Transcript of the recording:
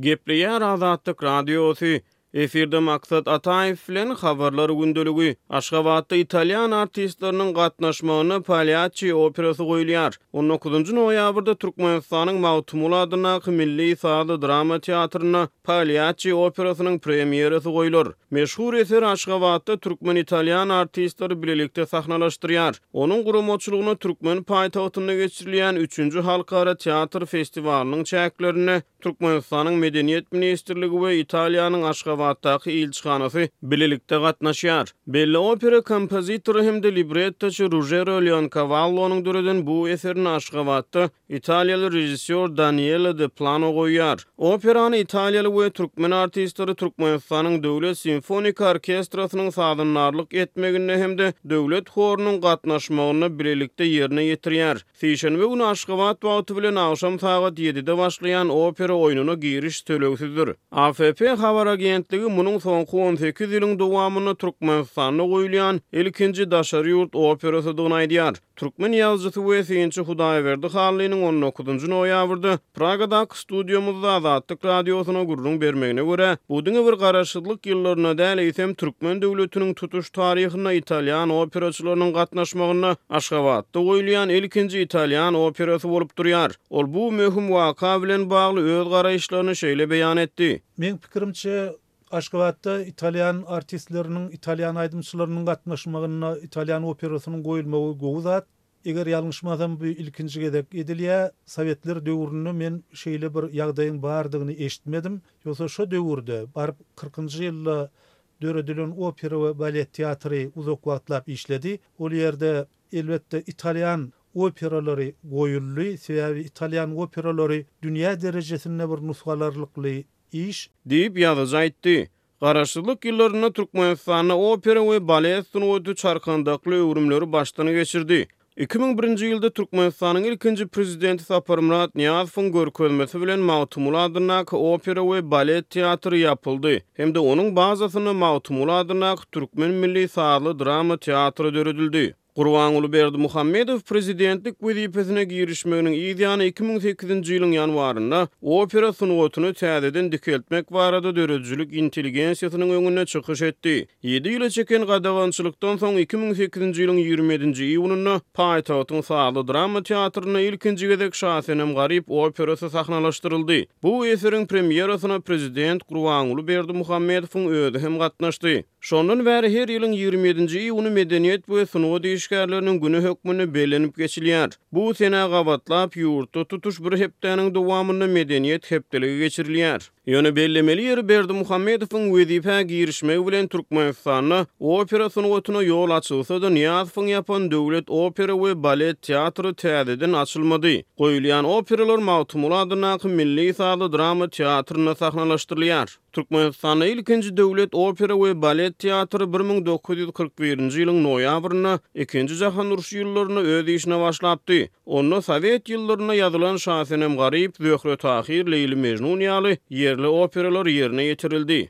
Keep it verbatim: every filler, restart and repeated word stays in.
Gepleýär Azatlyk Radiosy, Efirde Maksat Ataýew bilen Habarlar gündeligi. Aşgabatda italýan artistleriniň gatnaşmagynda Palýaççi operasy goýulýar. On dokuzynjy noýabrda Türkmenistanyň Magtymguly adyndaky Milli sazly drama teatrynda Palýaççi operasynyň premýerasy goýlar. Meşhur eseri Aşgabatda türkmen-italýan artistleri bilelikde sahnalaşdyrýar. Onuň guramaçylygyna türkmen paýtagtynda geçirilýän üçünji halkara teatr festiwalynyň çäklerinde Türkmenistanyň Medeniýet ministrligi we Italiýanyň Aşgabatdaky ilçihanasy bilelikde gatnaşýar. Belli opera kompozitory hem-de librettoçy Rujero Leonkawallonyň döreden bu eserini Aşgabatda italiýaly režissýor Daniele De Plano goýýar. Operany italiýaly we türkmen artistleri Türkmenistanyň Döwlet simfoniki orkestrasynyň sazandarlyk etmeginde hem-de döwlet horunyň gatnaşmagynda bilelikde ýerine ýetirýär. Sişenbe güni Aşgabat wagty bilen agşam sagat ýedide başlaýan opera oýnuna giriş tölegsizdir. A F P habar agentligi munuň soňky on sekiz ýylyň dowamynda Türkmenistanda goýulýan ilkinji daşary ýurt operasydygyny aýdýar. Türkmen ýazyjysy we synçy Hudaýberdi Hallynyň on dokuzynjy noýabrda Pragadaky studiýamyzda Azatlyk Radiosyna gürrüň bermegine görä, bu diňe bir garaşsyzlyk ýyllarynda däl, eýsem türkmen döwletiniň tutuş taryhynda italýan operaçylarynyň gatnaşmagynda Aşgabatda goýulýan ilkinji italýan operasy bolup durýar. Ol bu möhüm waka bilen bagly öz garaýyşlaryny şeýle beýan etdi. Meň pikirimçe, Aşgabatda italýan artistleriniň, italýan aýdymçylarynyň gatnaşmagynda italýan operasynyň goýulmagy gowy zat. Eger ýalňyşmasam, bu ilkinji gezek edilýär. Sowetler döwründe men şeýle bir ýagdaýyň bardygyny eşitmedim. Ýogsa şo döwürde baryp kyrkynjy ýylda döredilen opera we balet teatry uzak wagtlap işledi. Ol ýerde elbetde italýan operalary goýuldy. Sebäbi italýan operalary dünýä derejesinde bir nusgalarlykly iş. Diýip ýazyjy aýtdy. Garaşsyzlyk ýyllarynda Türkmenistanda opera we balet sungaty çarkandakly öwrümleri başdan geçirdi. Iki müň birinji ýylda Türkmenistanyň ilkinji prezidenti Saparmyrat Nyýazowyň görkezmesi bilen Magtymguly adyndaky opera we balet teatry ýapyldy hem-de onuň bazasynda Magtymguly adyndaky Türkmen milli sazly drama teatry döredildi. Gurbanguly Berdimuhamedow prezidentlik wezipesine girişmeginiň yz ýany iki müň sekizinji ýylyň ýanwarynda opera sungatyny täzeden dikeltmek barada döredijilik intelligensiýasynyň öňünde çykyş etdi. Ýedi ýyla çeken gadagançylykdan soň iki müň sekizinji ýylyň ýigrimi ýedinji iýunynda paýtagtyň sazly drama teatrynda ilkinji gezek Şasenem Garyp operasy sahnalaşdyryldy. Bu eseriň premýerasyna prezident Gurbanguly Berdimuhamedowyň özi hem gatnaşdy. Şondan bäri her ýylyň ýigrimi ýedinji iýuny medeniýet we sungat işgärleriniň güni hökmünde bellenip geçilýär. Bu senä gabatlap ýurtda tutuş bir hepdäniň dowamynda medeniýet hepdeligi geçirilýär. Ýöne bellemeli ýeri Berdimuhamedowyň wezipä girişmegi bilen Türkmenistanda opera sungatyna ýol açylsa-da Nyýazowyň ýapan döwlet opera we balet teatry täzeden açylmady. Goýulýan operalar Magtymguly adyndaky Milli sazly drama teatrynda sahnalaşdyrylýar. Türkmenistanda ilkinji döwlet opera we balet teatry bir müň dokuz ýüz kyrk birinji ýylyň noýabrynda ikinji jahan urşy ýyllarynda öz işine başlapdy. Onda sowet ýyllarynda ýazylan Şasenem Garyp, Zöhre Tahir, Leýli Mejnun ýaly ýerli operalar ýerine ýetirildi.